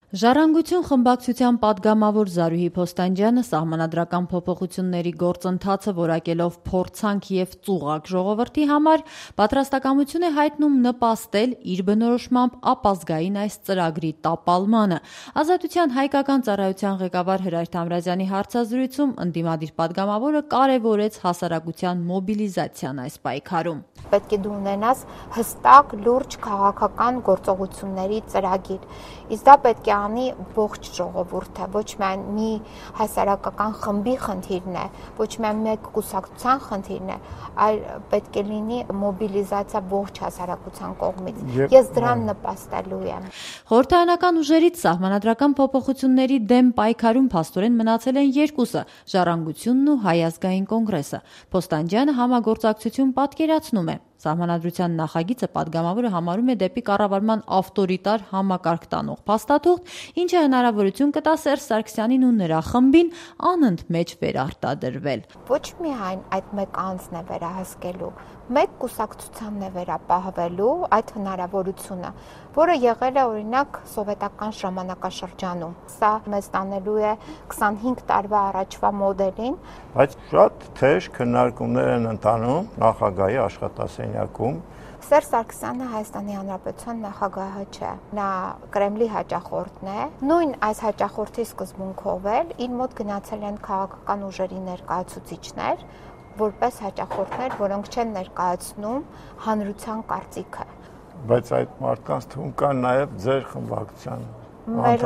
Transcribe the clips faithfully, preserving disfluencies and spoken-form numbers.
Ժառանգություն խմբակցության պատգամավոր Զարուհի Փոստանջյանը սահմանադրական փոփոխությունների գործընթացը որակելով փորձանք և ծուղակ ժողովրդի համար պատրաստակամություն է հայտնում նպաստել իր բնորոշմամբ ապազգային այս ծրագրի տապալմանը։ Ազատության հայկական ծառայության ղեկավար Հրայր Թամրազյանի հարցազրույցում ընդդիմադիր պատգամավորը կարևորեց հասարակության մոբիլիզացիան այս պայքարում։ Պետք է դու ունենաս հստակ, լուրջ քաղաքական գործողությունների ծրագիր։ Իսկ դա պետք է անի ողջ ժողովուրդը, ոչ միայն մի հասարակական խմբի խնդիրն է, ոչ միայն մեկ կուսակցության խնդիրն է, այլ պետք է լինի մոբիլիզացիա ողջ հասարակության կողմից։ Ես դրան նպաստելու եմ։ Խորհրդարանական ուժերից սահմանադրական փոփոխությունների դեմ պայքարում փաստորեն մնացել են երկուսը՝ Ժառանգությունն ու Հայ ազգային կոնգրեսը։ Փոստանջյանը համագործակցություն պատկերացնում է։ Սահմանադրության նախագիծը պատգամավորը համարում է դեպի կառավարման ավտորիտար համակարգ տանող փաստաթուղթ, ինչը հնարավորություն կտա Սերժ Սարգսյանին ու նրա խմբին անընդմեջ վերարտադրվել։ Ոչ միայն այդ մեկ անձն է վերահսկելու, մեկ կուսակցությանն է վերապահվելու այդ հնարավորությունը, որը եղել է օրինակ սովետական ժամանակաշրջանում։ Սա մեզ տանելու է քսանհինգ տարվա առաջվա մոդելին, բայց շատ թեժ քննարկումներ են ընթանում նախագահի աշխատասենյակում։ Սերժ Սարգսյանը Հայաստանի Հանրապետության նախագահը չէ, նա Կրեմլի հաճախորդն է։ Նույն այս հաճախորդի սկզբունքով էլ իր մոտ գնացել են քաղաքական ուժերի ներկայացուցիչներ, որպես հաճախորդներ, որոնք չեն ներկայացնում հանրության կարծիքը։ Բայց այդ մարդկանց թվում կան նաև ձեր խմբակցության Մեր,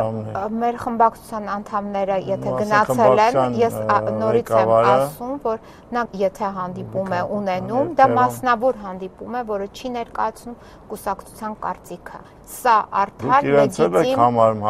մեր խմբակցության անդամները, եթե գնացել են, ես նորից եմ ասում, որ նա եթե հանդիպում է ունենում, դա մասնավոր հանդիպում է, որը չի ներկայացնում կուսակցության կարծիքը։ Սա արդար լեգիտիմ։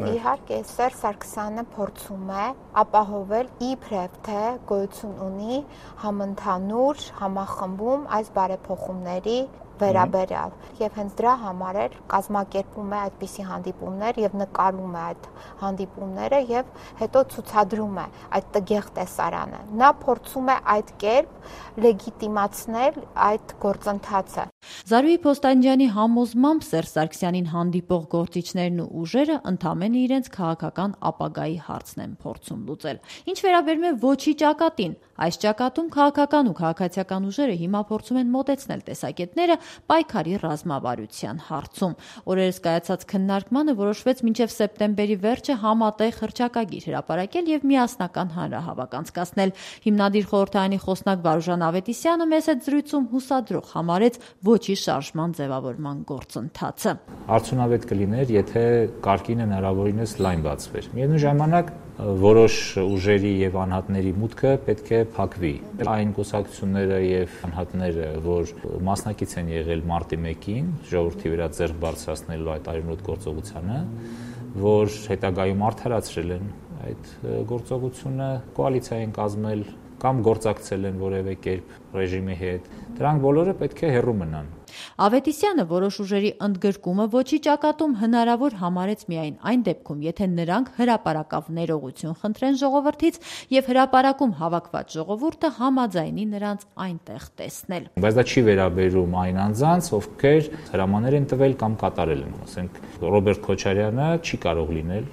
Իհարկե, Սերժ Սարգսյանը փորձում է ապահովել իբրև թե գոյություն ունի համընդհանուր համախմբում այս բարեփոխումների վերաբերյալ եւ հենց դրա համար էլ կազմակերպում է այդպիսի հանդիպումներ եւ նկարում է այդ հանդիպումները եւ հետո ցուցադրում է այդ տգեղ տեսարանը։ Նա փորձում է այդ կերպ լեգիտիմացնել այդ գործընթացը։ Զարուհի Փոստանջյանի համոզմամբ Սերժ Սարգսյանին հանդիպող գործիչներն ու ուժերը ընդամենը իրենց քաղաքական ապագայի հարցն են փորձում լուծել։ Ինչ վերաբերում է ոչի ճակատին, այս ճակատում քաղաքական ու քաղաքացիական ուժերը հիմա փորձում են մոտեցնել տեսակետները պայքարի ռազմավարության հարցում։ Օրերս կայացած քննարկմանը որոշվեց մինչև սեպտեմբերի վերջը համատեղ հռչակագիր հրապարակել եւ միասնական հանրահավաք անցկացնել։ Հիմնադիր խորհրդարանի խոսնակ Վարուժան Ավետիսյանը մեծ այդ զրույցում հուսադրող համարեց ոչի շարժման ձևավորման գործընթացը։ Արդյունավետ կլիներ, եթե կարգին հնարավորինս լայն բացվեր։ Միևնույն ժամանակ որոշ ուժերի եւ անհատների մուտքը պետք է փակվի։ Այն կուսակցությունները եւ անհատները, որ մասնակից են եղել մարտի մեկին ժողովրդի վրա ձեռք բարձրացնելու այդ արյունոտ գործողությանը, որ հետագայում արդարացրել են այդ գործողությունը, կոալիցիա են կազմել կամ գործակցել են որևէ կերպ ռեժիմի հետ, դրանք բոլորը պետք է հեռու մնան։ Ավետիսյանը որոշ ուժերի ընդգրկումը ոչի ճակատում հնարավոր համարեց միայն այն դեպքում, եթե նրանք հրապարակավ ներողություն խնդրեն ժողովրդից եւ հրապարակում հավաքված ժողովուրդը համաձայնի նրանց այնտեղ տեսնել։ Բայց դա չի վերաբերում այն անձանց, ովքեր հրամաններ են տվել կամ կատարել են, ասենք Ռոբերտ Քոչարյանը չի կարող լինել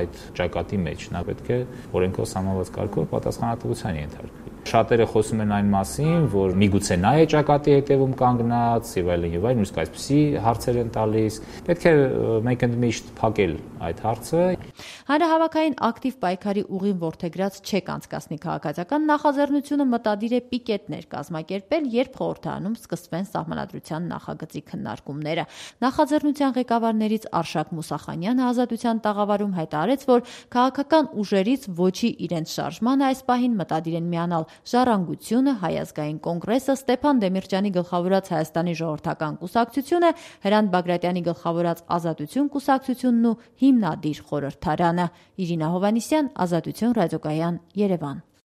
այդ ճակատի մեջ, նա պետք է օրենքով սահմանված կարգով պատասխանատվության ենթարկվի։ Շատերը խոսում են այն մասին, որ միգուցե նա է ճակատի հետևում կանգնած եւ այլն եւ այլն, նույնիսկ այսպիսի հարցեր են տալիս։ Պետք է մենք ընդմիշտ փակել այդ հարցը։ Հանրահավաքային ակտիվ պայքարի ուղին ворթեգրած չեք անցկացնի քաղաքացիական նախաձեռնությունը մտադիր է պիկետներ կազմակերպել, երբ խորհրդարանում սկսվեն սահմանադրության նախագծի քննարկումները։ Նախաձեռնության ղեկավարներից Արշակ Մուսախանյանը Ազատության տաղավարում հայտարարեց, որ քաղաքական ուժերից ոչի իրենց շարժմանը այս պահին մտադիր են միանալ Ժառանգությունը, Հայ ազգային կոնգրեսը, Ստեփան Դեմիրճյանի գլխավորած Հայաստանի ժողովրդական կուսակցությունը, Հրանտ Բագրատյանի գլխավորած Ազատություն կուսակցությունն ու հիմնադիր խորհրդարանը։ Իրինա Հովհաննիսյան, Ազատություն ռադիոկայան, Երևան։